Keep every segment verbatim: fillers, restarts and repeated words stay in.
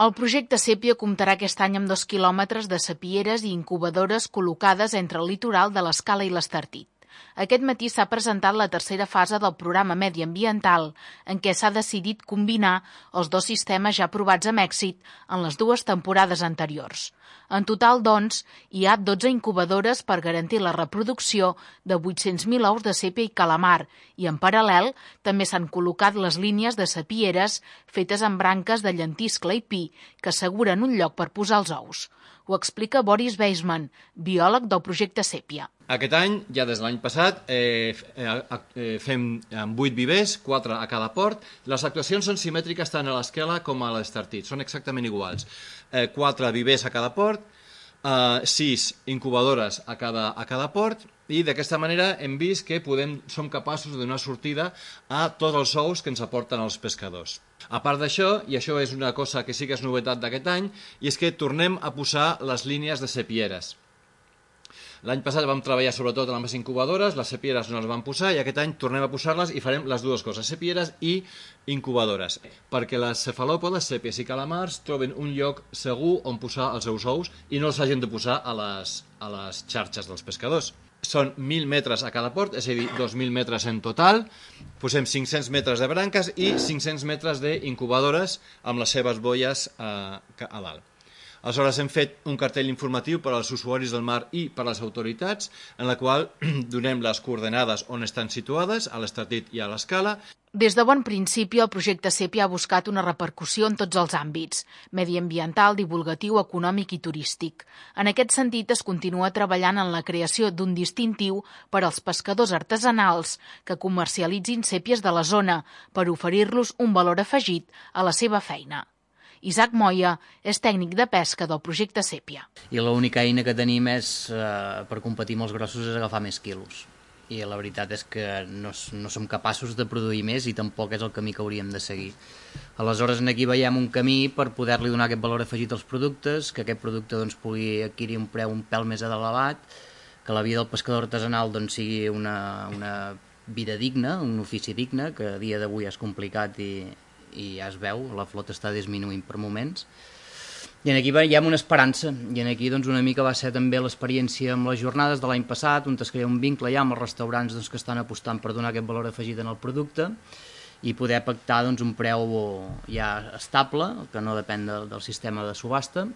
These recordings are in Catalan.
El projecte Sèpia comptarà aquest any amb dos quilòmetres de sapieres i incubadores col·locades entre el litoral de l'Escala i l'Estartit. Aquest matí s'ha presentat la tercera fase del programa mediambiental, en què s'ha decidit combinar els dos sistemes ja provats amb èxit en les dues temporades anteriors. En total, doncs, hi ha dotze incubadores per garantir la reproducció de vuit-cents mil ous de sèpia i calamar i, en paral·lel, també s'han col·locat les línies de sapieres fetes amb branques de llentiscle i pi que asseguren un lloc per posar els ous. Ho explica Boris Weisman, biòleg del projecte Sèpia. Aquest any, ja des de l'any passat, eh, eh, fem amb vuit vivers, quatre a cada port. Les actuacions són simètriques tant a l'Escala com a l'Estartit, són exactament iguals. Eh, quatre vivers a cada port, eh, sis incubadores a cada, a cada port, i d'aquesta manera hem vist que podem, som capaços de donar sortida a tots els ous que ens aporten els pescadors. A part d'això, i això és una cosa que sí que és novetat d'aquest any, i és que tornem a posar les línies de sepieres. L'any passat vam treballar sobretot amb les incubadores, les sepieres no les vam posar i aquest any tornem a posar-les i farem les dues coses, sepieres i incubadores, perquè les cefalòpodes, sèpies i calamars troben un lloc segur on posar els seus ous i no els hagin de posar a les, a les xarxes dels pescadors. Són mil metres a cada port, és a dir, dos mil metres en total. Posem cinc-cents metres de branques i cinc-cents metres d'incubadores amb les seves boies a, a dalt. Aleshores hem fet un cartell informatiu per als usuaris del mar i per a les autoritats, en la qual donem les coordenades on estan situades, a l'Estartit i a l'Escala. Des de bon principi, el projecte Sèpia ha buscat una repercussió en tots els àmbits, mediambiental, divulgatiu, econòmic i turístic. En aquest sentit, es continua treballant en la creació d'un distintiu per als pescadors artesanals que comercialitzin sèpies de la zona per oferir-los un valor afegit a la seva feina. Isaac Moya és tècnic de pesca del projecte Sèpia. I l'única eina que tenim és, eh, per competir amb els grossos és agafar més quilos. I la veritat és que no, no som capaços de produir més i tampoc és el camí que hauríem de seguir. Aleshores, aquí veiem un camí per poder-li donar aquest valor afegit als productes, que aquest producte doncs, pugui adquirir un preu un pèl més elevat, que la vida del pescador artesanal doncs, sigui una, una vida digna, un ofici digne, que a dia d'avui és complicat i i ja es veu, la flota està disminuint per moments. I aquí veiem una esperança, i aquí doncs, una mica va ser també l'experiència amb les jornades de l'any passat, on es crea un vincle ja amb els restaurants doncs, que estan apostant per donar aquest valor afegit en el producte i poder pactar doncs, un preu ja estable, que no depèn de, del sistema de subhasta,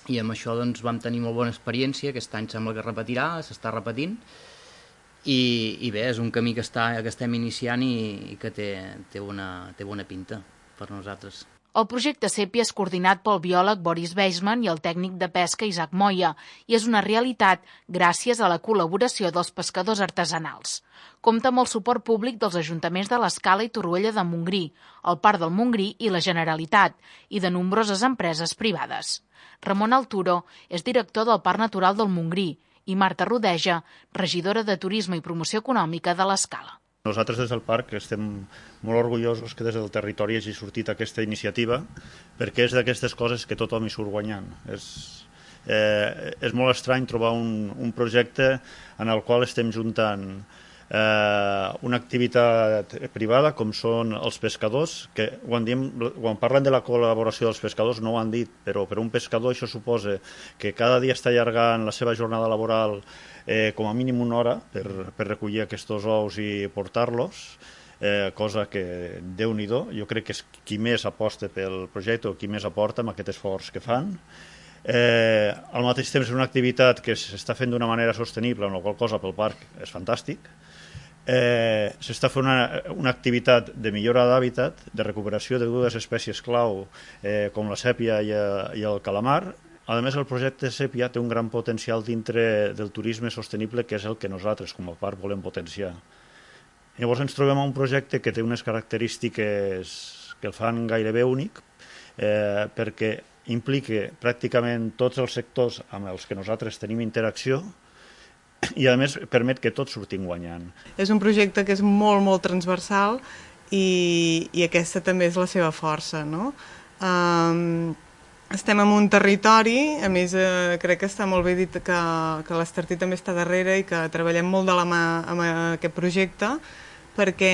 i amb això doncs, vam tenir molt bona experiència, aquest any sembla que es repetirà, s'està repetint, I, i bé, és un camí que, està, que estem iniciant i, i que té, té, una, té bona pinta per nosaltres. El projecte Sèpia és coordinat pel biòleg Boris Weisman i el tècnic de pesca Isaac Moya i és una realitat gràcies a la col·laboració dels pescadors artesanals. Compta amb el suport públic dels ajuntaments de l'Escala i Torroella de Montgrí, el Parc del Montgrí i la Generalitat, i de nombroses empreses privades. Ramon Alturo és director del Parc Natural del Montgrí i Marta Rodeja, regidora de Turisme i Promoció Econòmica de l'Escala. Nosaltres des del parc estem molt orgullosos que des del territori hagi sortit aquesta iniciativa perquè és d'aquestes coses que tothom hi surt guanyant. És, eh, és molt estrany trobar un, un projecte en el qual estem juntant eh, una activitat privada com són els pescadors, que quan, diem, quan parlen de la col·laboració dels pescadors no ho han dit, però per un pescador això suposa que cada dia està allargant la seva jornada laboral eh, com a mínim una hora per, per recollir aquests ous i portar-los, eh, cosa que Déu-n'hi-do, jo crec que és qui més aposta pel projecte o qui més aporta amb aquest esforç que fan. Eh, al mateix temps és una activitat que s'està fent d'una manera sostenible, amb la qual cosa pel parc és fantàstic. Eh, s'està fent una, una activitat de millora d'hàbitat, de recuperació de dues espècies clau eh, com la sèpia i, i el calamar. A més, el projecte Sèpia té un gran potencial dintre del turisme sostenible, que és el que nosaltres com a parc volem potenciar. Llavors ens trobem a un projecte que té unes característiques que el fan gairebé únic, eh, perquè implica pràcticament tots els sectors amb els que nosaltres tenim interacció i a més permet que tots sortim guanyant. És un projecte que és molt, molt transversal i, i aquesta també és la seva força, no? Um, estem en un territori, a més eh, crec que està molt bé dit que, que l'Estartit també està darrere i que treballem molt de la mà amb aquest projecte perquè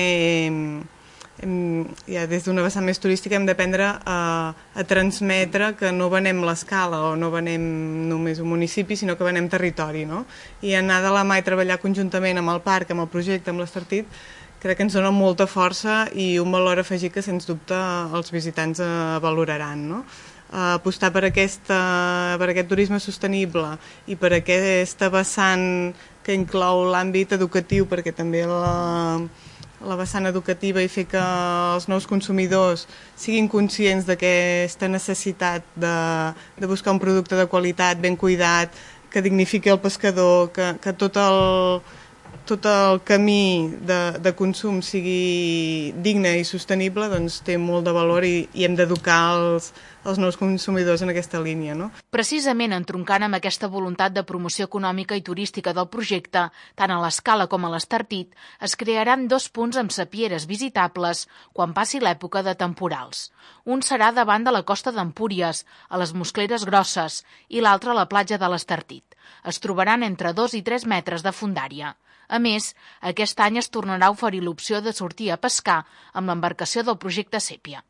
hem, ja des d'una vessant més turística hem d'aprendre a, a transmetre que no venem l'escala o no venem només un municipi, sinó que venem territori, no? I anar de la mà i treballar conjuntament amb el parc, amb el projecte, amb l'Estartit, crec que ens dona molta força i un valor afegit que, sens dubte, els visitants eh, valoraran, no? Uh, apostar per, aquesta, per aquest turisme sostenible i per aquesta vessant que inclou l'àmbit educatiu, perquè també la, la vessant educativa i fer que els nous consumidors siguin conscients d'aquesta necessitat de, de buscar un producte de qualitat, ben cuidat, que dignifiqui el pescador, que, que tot el tot el camí de, de consum sigui digne i sostenible, doncs té molt de valor i, i hem d'educar els, els nous consumidors en aquesta línia, no? Precisament entroncant amb aquesta voluntat de promoció econòmica i turística del projecte, tant a l'Escala com a l'Estartit, es crearan dos punts amb sapieres visitables quan passi l'època de temporals. Un serà davant de la costa d'Empúries, a les Moscleres Grosses, i l'altre a la platja de l'Estartit. Es trobaran entre dos i tres metres de fondària. A més, aquest any es tornarà a oferir l'opció de sortir a pescar amb l'embarcació del projecte Sèpia.